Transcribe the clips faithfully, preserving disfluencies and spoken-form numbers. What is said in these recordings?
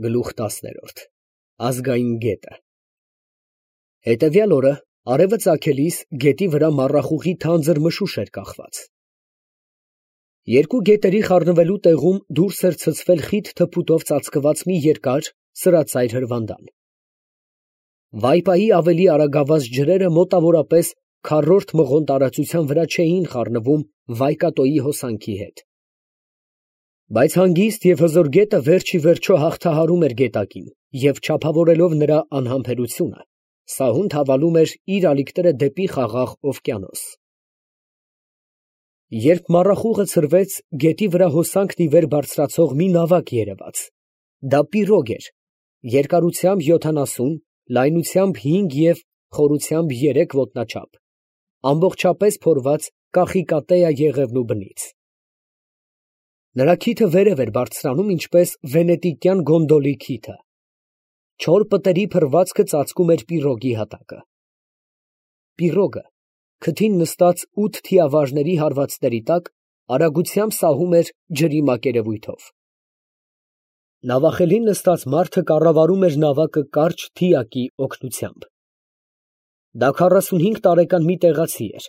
Գլուխ տասներորդ Ազգային գետը Հետևյալ օրը արևը ծագելիս գետի վրա մառախուղի թանձր մշուշ էր կախված։ Երկու գետերի խառնվելու տեղում դուրս էր ցցվել խիտ թփուտով ծածկված մի երկար սրածայր հրվանդան։ Վայպայի ավելի արագավազ ջրերը մոտավորապես քառորդ մղոն տարածության վրա չէին խառնվում Վայկատոյի հոսանքի հետ։ Բայց հանգիստ և հզոր գետը վերջ ի վերջո հաղթահարում էր գետակին և չափավորելով նրա անհամբերությունը, սահուն թավալում էր իր ալիքները դեպի խաղաղ օվկիանոս։ Երբ մառախուղը ցրվեց, գետի վրա հոսանքն ի վեր բարձրացող մի նավակ երևաց. դա պիրոգ էր, երկարությամբ յոթանասուն, լայնությամբ հինգ և խորությամբ երեք ոտնաչափ, ամբողջապես փորված կախիկատեյա եղևնու բնից։ Նրա քիթը վերև էր բարձրանում, ինչպես վենետիկյան գոնդոլի քիթը։ Չոր պտերի փռվածքը ծածկում էր պիրոգի հատակը։ Պիրոգը, քթին նստած ութ թիավարների հարվածների տակ, արագությամբ սահում էր ջրի մակերևույթով։ Նավախելին նստած մարդը կառավարում էր նավակը կարճ թիակի օգնությամբ։ Դա քառասունհինգ տարեկան մի տեղացի էր,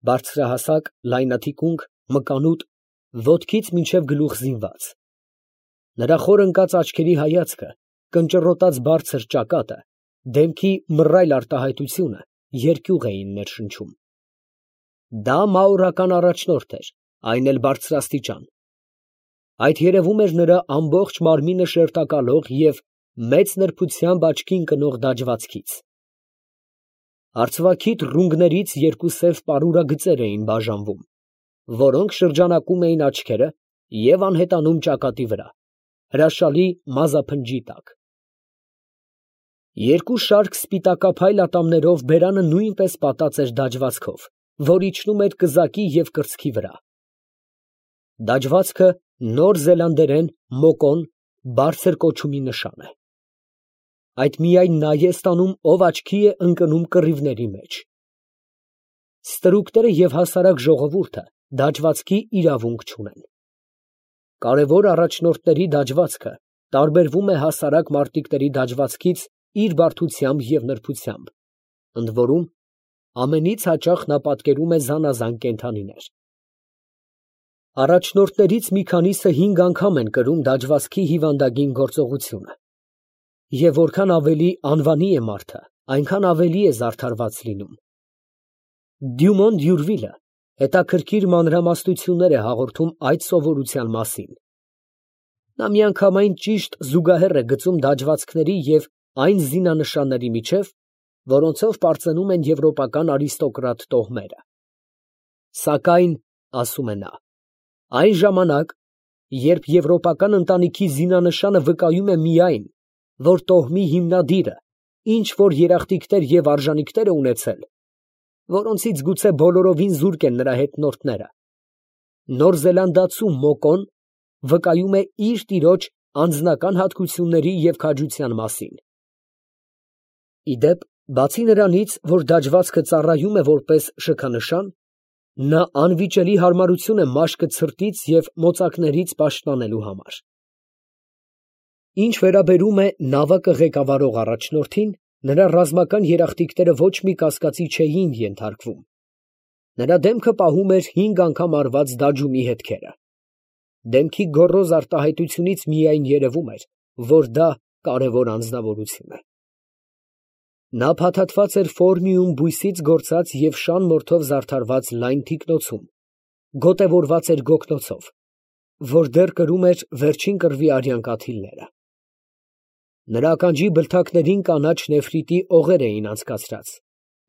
բարձրահասակ, լայնաթիկունք, մկանուտ, ոտքից մինչև գլուխ զինված։ Նրա խոր ընկած աչքերի հայացքը, կնճռոտած բարձր ճակատը, դեմքի մռայլ արտահայտությունը երկյուղ էին ներշնչում։ Դա մաուրական առաջնորդ էր, այն էլ բարձրաստիճան։ Այդ երևում էր նրա ամբողջ մարմինը շերտակալող և մեծ նրբությամբ աչքին կնող դաջվածքից։ Արծվաքիթ ռունգներից երկու սև պարուրագծեր էին բաժանվում, որոնք շրջանակում էին աչքերը և անհետանում ճակատի վրա, հրաշալի մազափնջի տակ։ Երկու շարք սպիտակափայլ ատամներով բերանը նույնպես պատած էր դաջվածքով, որ իջնում էր կզակի և կրծքի վրա։ Դաջվածքը նոր զելանդերեն մոկոն բարձր կոչումի նշան է։ Այդ միայն նա է ստանում, ով աչքի է ընկնում կռիվների մեջ։ Ստրուկները և հասարակ ժողովուրդը դաջվածքի իրավունք չունեն։ Կարևոր առաջնորդների դաջվածքը տարբերվում է հասարակ մարտիկների դաջվածքից իր բարդությամբ և նրբությամբ, ընդ որում, ամենից հաճախ նա պատկերում է զանազան կենդանիներ։ Առաջնորդներից մի քանիսը հինգ անգամ են կրում դաջվածքի հիվանդագին գործողությունը։ Եվ որքան ավելի անվանի է մարդը, այնքան ավելի է զարդարված լինում։ Դյումոն Դյուրվիլը հետաքրքիր մանրամասնություններ է հաղորդում այդ սովորության մասին։ Նա միանգամայն ճիշտ զուգահեռ է գծում դաջվածքների և այն զինանշանների միջև, որոնցով պարծենում են եվրոպական արիստոկրատ տոհմերը։ Սակայն, ասում է նա, այն ժամանակ, երբ եվրոպական ընտանիքի զինանշանը վկայում է միայն, որ տոհմի հիմնադիրը ինչ֊որ երախտիկներ և արժանիքներ է ունեցել, որոնցից գուցե բոլորովին զուրկ են նրա հետնորդները, Նոր Զելանդացու մոկոն վկայում է իր տիրոջ անձնական հատկությունների և քաջության մասին։ Ի դեպ, բացի նրանից, որ դաջվածքը ծառայում է որպես շքանշան, նա անվիճելի հարմարություն է մաշկը ցրտից և մոծակներից պաշտպանելու համար։ Ինչ վերաբերում է նավակը ղեկավարող առաջնորդին, նրա ռազմական երախտիկները ոչ մի կասկածի չէին ենթարկվում։ Նրա դեմքը պահում էր հինգ անգամ արված դաջումի հետքերը։ Դեմքի գոռոզ արտահայտությունից միայն երևում էր, որ դա կարևոր անձնավորություն է։ Նա փաթաթված էր ֆորմիում բույսից գործած և շան մորթով զարդարված լայն թիկնոցում, գոտևորված էր գոգնոցով, որ դեռ կրում էր վերջին կռվի արյան կաթիլները։ Նրա ականջի բլթակներին կանաչ նեֆրիտի օղեր էին անցկացրած,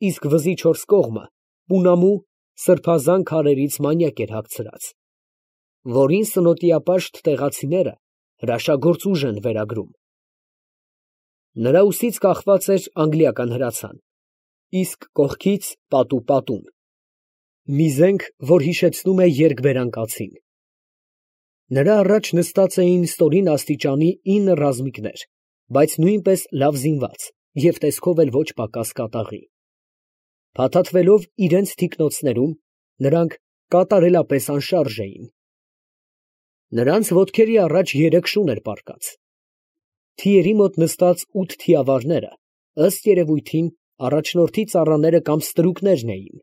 իսկ վզի չորս կողմը պունամու սրբազան քարերից մանյակ էր հագցրած, որին սնոտիապաշտ տեղացիները հրաշագործ ուժ են վերագրում։ Նրա ուսից կախված էր անգլիական հրացան, իսկ կողքից պատու պատուն, մի զենք, որ հիշեցնում է երկբերան կացին։ Նրա առաջ նստած էին ստորին աստիճանի ինը ռազմիկներ, բայց նույնպես լավ զինված և տեսքով էլ ոչ պակաս կատաղի։ Փաթաթվելով իրենց թիկնոցներում, նրանք կատարելապես անշարժ էին։ Նրանց ոտքերի առաջ երեք շուն էր պառկած։ Թիերի մոտ նստած ութ թիավարները, ըստ երևույթին, առաջնորդի ծառաները կամ ստրուկներն էին։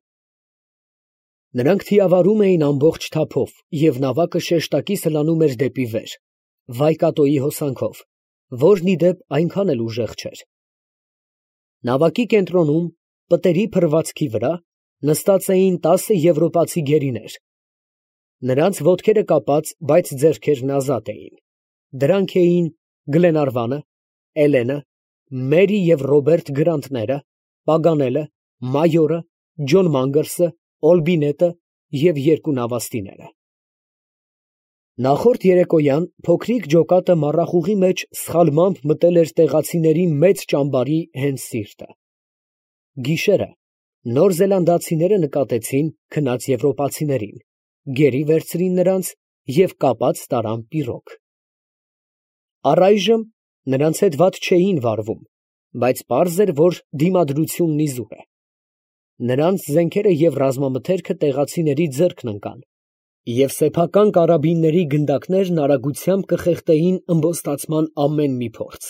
Նրանք թիավարում էին ամբողջ թափով, և նավակը շեշտակի սլանում էր դեպի վեր, Վայկատոյի հոսանքով, որն ի դեպ այնքան էլ ուժեղ չէր։ Նավակի կենտրոնում, պտերի փռվածքի վրա, նստած էին տասը եվրոպացի գերիներ։ Նրանց ոտքերը կապած, բայց ձեռքերն ազատ էին։ Դրանք էին Գլենարվանը, Էլենը, Մերի և Ռոբերտ Գրանտները, Պագանելը, Մայորը, Ջոն Մանգերսը, Օլբինետը և երկու նավաստիները։ Նախորդ երեկոյան փոքրիկ ջոկատը մառախուղի մեջ սխալմամբ մտել էր տեղացիների մեծ ճամբարի հենց սիրտը։ Գիշերը նոր զելանդացիները նկատեցին քնած եվրոպացիներին, գերի վերցրին նրանց և կապած տարան պիրոգ։ Առայժմ նրանց հետ վատ չէին վարվում, բայց պարզ էր, որ դիմադրությունն իզուր է։ Նրանց զենքերը և ռազմամթերքը տեղացիների ձեռքն ընկան, և սեփական կարաբինների գնդակներն արագությամբ կխեղդեին ըմբոստացման ամեն մի փորձ։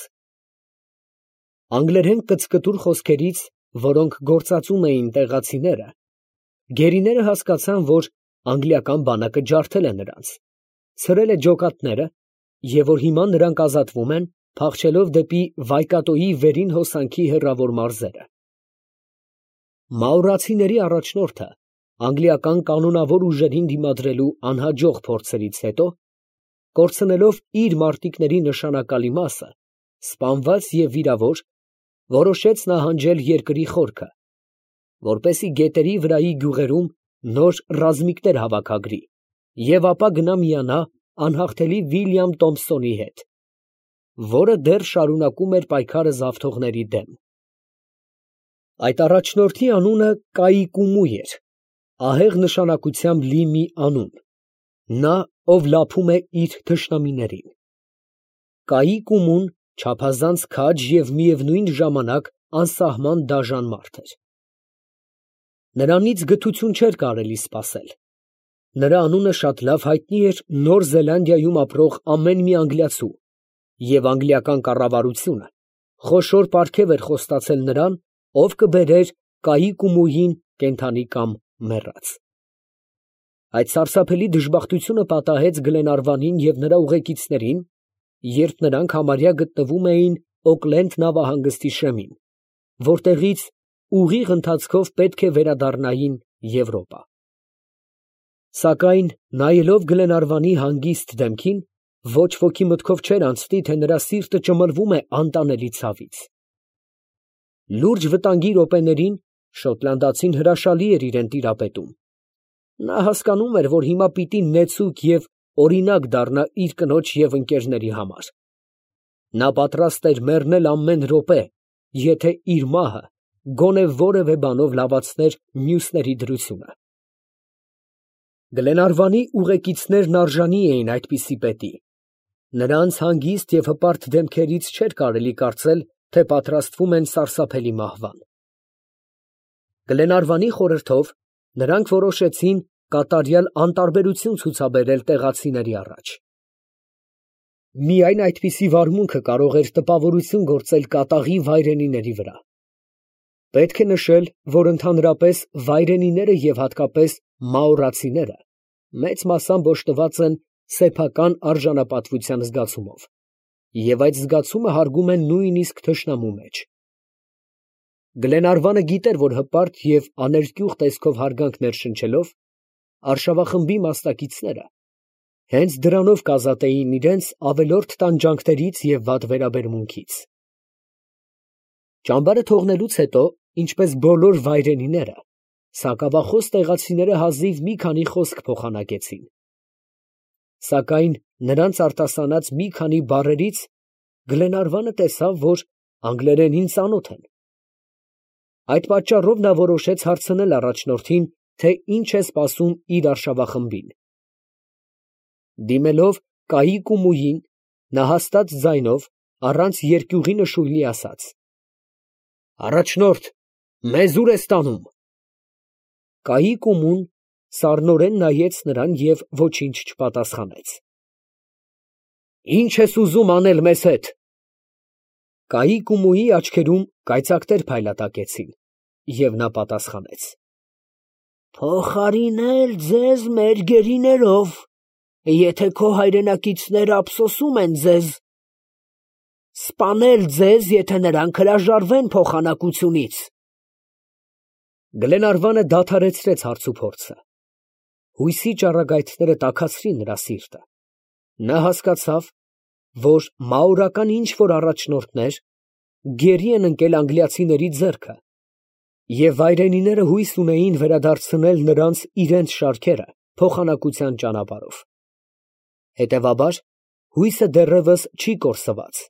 Անգլերեն կծկտուր խոսքերից, որոնք գործածում էին տեղացիները, գերիները հասկացան, որ անգլիական բանակը ջարդել է նրանց, ցրել է ջոկատները, և որ հիմա նրանք ազատվում են, փախչելով դեպի Վայկատոյի վերին հոսանքի հեռավոր մարզերը։ Մաուրացիների առաջնորդը, անգլիական կանոնավոր ուժերին դիմադրելու անհաջող փորձերից հետո, կորցնելով իր մարտիկների նշանակալի մասը, սպանված և վիրավոր, որոշեց նահանջել երկրի խորքը, որպեսզի գետերի վրայի գյուղերում նոր ռազմիկներ հավաքագրի և ապա գնա միանա անհաղթելի Վիլյամ Թոմփսոնի հետ, որը դեռ շարունակում էր պայքարը զավթողների դեմ։ Այդ առաջնորդի անունը Կայիկումու էր, ահեղ նշանակությամբ լի մի անուն, նա, ով լափում է իր թշնամիներին։ Կայիկումուն չափազանց քաջ և միևնույն ժամանակ անսահման դաժան մարդ էր։ Նրանից գթություն չէր կարելի սպասել։ Նրա անունը շատ լավ հայտնի էր Նոր Զելանդիայում ապրող ամեն մի անգլիացու, և անգլիական կառավարությունը խոշոր պարգև էր խոստացել նրան, ով կբերեր Կայիկումուին կենդանի կամ մեռած։ Այդ սարսափելի դժբախտությունը պատահեց Գլենարվանին և նրա ուղեկիցներին, երբ նրանք համարյա գտնվում էին Օքլենդ նավահանգստի շեմին, որտեղից ուղիղ ընթացքով պետք է վերադառնային Եվրոպա։ Սակայն նայելով Գլենարվանի հանգիստ դեմքին, ոչ ոքի մտքով չէր անցնի, թե նրա սիրտը ճմլվում է անտանելի ցավից։ Լուրջ վտանգի րոպեներին շոտլանդացին հրաշալի էր իրան տիրապետում։ Նա հասկանում էր, որ հիմա պիտի նեցուկ և օրինակ դառնա իր կնոջ և ընկերների համար։ Նա պատրաստ էր մեռնել ամեն րոպե, եթե իր մահը գոնե որևէ բանով լավացներ մյուսների դրությունը։ Գլենարվանի ուղեկիցներն արժանի էին այդպիսի պետի։ Նրանց հանգիստ և հպարտ դեմքերից չէր կարելի կարծել, թե պատրաստվում են սարսափելի մահվան։ Գլենարվանի խորհրդով նրանք որոշեցին կատարյալ անտարբերություն ցուցաբերել տեղացիների առաջ։ Միայն այդպիսի վարմունքը կարող էր տպավորություն գործել կատաղի վայրենիների վրա։ Պետք է նշել, որ ընդհանրապես վայրենիները և հատկապես մաորացիները մեծ մասամբ օժտված են սեփական արժանապատվության զգացումով, և այդ զգացումը հարգում են նույնիսկ թշնամու մեջ։ Գլենարվանը գիտեր, որ հպարտ և աներկյուղ տեսքով հարգանքներ շնչելով, արշավախմբի մասնակիցները հենց դրանով կազատեին իրենց ավելորդ տանջանքներից և վատ վերաբերմունքից։ Ճամբարը թողնելուց հետո, ինչպես բոլոր վայրենիները, սակավախոս տեղացիները հազիվ մի քանի խոսք փոխանակեցին։ Սակայն նրանց արտասանած մի քանի բառերից Գլենարվանը տեսավ, որ անգլերենին ծանոթ են։ Այդ պատճառով նա որոշեց հարցնել առաջնորդին, թե ինչ է սպասում իր արշավախմբին։ Դիմելով Կայիկումուին, նա հաստատ ձայնով, առանց երկյուղի նշույլի ասաց. «Առաջնորդ, մեզ ո՞ւր ես տանում»։ Կայիկումուն սառնորեն նայեց նրան և ոչինչ չպատասխանեց։ «Ի՞նչ ես ուզում անել մեզ հետ»։ Կայի Կումուի աչքերում կայծակներ փայլատակեցին, և նա պատասխանեց. Փոխարինել ձեզ մեր գերիներով, եթե քո հայրենակիցները ափսոսում են ձեզ, սպանել ձեզ, եթե նրանք հրաժարվեն փոխանակությունից։ Գլենարվանը դադարեցրեց հարցուփորձը։ Հույսի ճառագայթները տաքացրին նրա սիրտը։ Նա հասկացավ, որ մաորական ինչ-որ առաջնորդներ գերի են ընկել անգլիացիների ձեռքը, և վայրենիները հույս ունեին վերադարձնել նրանց իրենց շարքերը փոխանակության ճանապարհով։ Հետևաբար, հույսը դեռևս չի կորսված,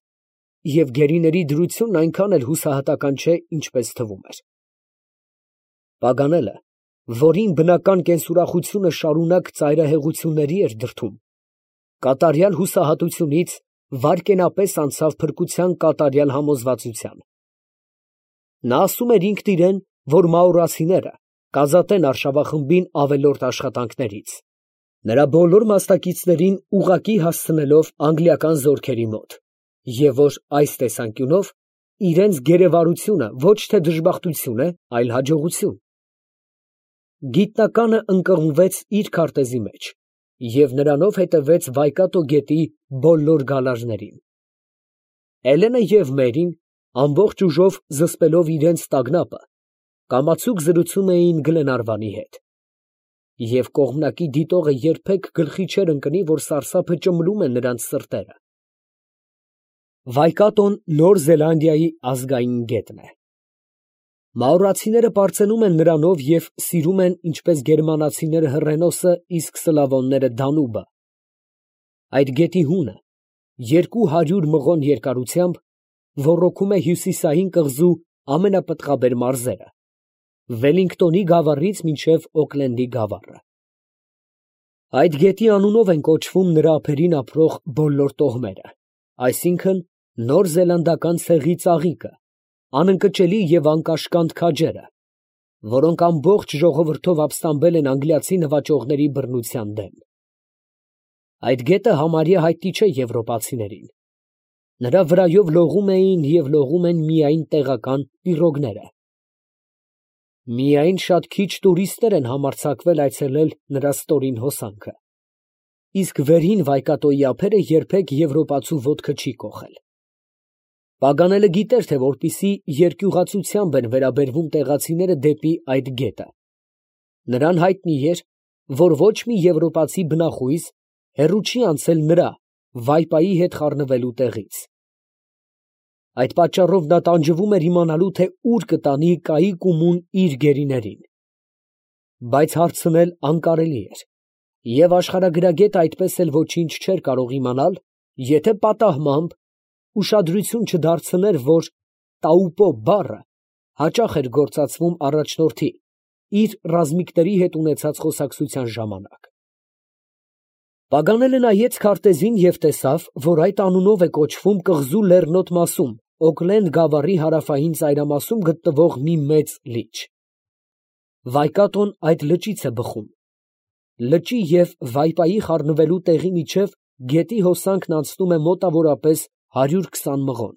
և գերիների դրությունն այնքան էլ հուսահատական չէ, ինչպես թվում էր։ Պագանելը, որին բնական կենսուրախությունը շարունակ ծայրահեղությունների էր դրդում, կատարյալ հուսահատությունից վայրկենապես անցավ փրկության կատարյալ համոզվածության։ Նա ասում էր ինքն իրան, որ մաուրացիները կազատեն արշավախմբին ավելորդ աշխատանքներից, նրա բոլոր մասնակիցներին ուղղակի հասցնելով անգլիական զորքերի մոտ, և որ այս տեսանկյունով իրենց գերեվարությունը ոչ թե դժբախտություն է, այլ հաջողություն։ Գիտնականը ընկղմվեց իր քարտեզի մեջ և նրանով հետևեց Վայկատո գետի բոլոր գալարներին։ Էլենը և Մերին, ամբողջ ուժով զսպելով իրենց տագնապը, կամացուկ զրուցում էին Գլենարվանի հետ։ Եվ կողմնակի դիտողը երբեք գլխի չէր ընկնի, որ սարսափը ճմլում է նրանց սրտերը։ Վայկատոն Նոր Զելանդիայի ազգային գետն է։ Մաուրացիները պարծենում են նրանով և սիրում են ինչպես գերմանացիները Հռենոսը, իսկ սլավոնները Դանուբը։ Այդ գետի հունը, երկու հարյուր մղոն երկարությամբ, ոռոգում է հյուսիսային կղզու ամենապտղաբեր մարզերը, Վելլինգտոնի գավառից մինչև Օքլենդի գավառը։ Այդ գետի անունով են կոչվում նրա ափերին ապրող բոլոր տոհմերը, այսինքն նոր զելանդական ցեղի ծաղիկը, անընկճելի և անկաշկանդ քաջերը, որոնք ամբողջ ժողովրդով ապստամբել են անգլիացի նվաճողների բռնության դեմ։ Այդ գետը համարյա հայտնի չէ եվրոպացիներին։ Նրա վրայով լողում էին և լողում են միայն տեղական պիրոգները։ Միայն շատ քիչ տուրիստներ են համարձակվել այցելել նրա ստորին հոսանքը, իսկ վերին Վայկատոյի ափերը երբեք եվրոպացու ոտքը չի կոխել։ Պագանելը գիտեր, թե որպիսի երկյուղացությամբ են վերաբերվում տեղացիները դեպի այդ գետը, նրան հայտնի էր, որ ոչ մի եվրոպացի բնախույզ հեռու չի անցել նրա՝ վայպայի հետ խառնվելու տեղից։ Այդ պատճառով նա տանջվում էր իմանալու, թե ուր կտանի Կայի Կումուն իր գերիներին։ Բայց հարցնել անկարելի էր, և աշխարհագրագետը այդպես էլ ոչինչ չէր կարող իմանալ, եթե պատահմամբ ուշադրություն չդարձներ, որ տաուպո բառը հաճախ էր գործածվում առաջնորդի իր ռազմիկների հետ ունեցած խոսակցության ժամանակ։ Պագանելը նայեց քարտեզին և տեսավ, որ այդ անունով է կոչվում կղզու լեռնոտ մասում, Օքլենդ գավառի հարավային ծայրամասում գտնվող մի մեծ լիճ։ Վայկատոն այդ լճից է բխում։ Լճի և վայպայի խառնվելու տեղի միջև գետի հոսանքն անցնում է մոտավորապես հարյուր քսան մղոն։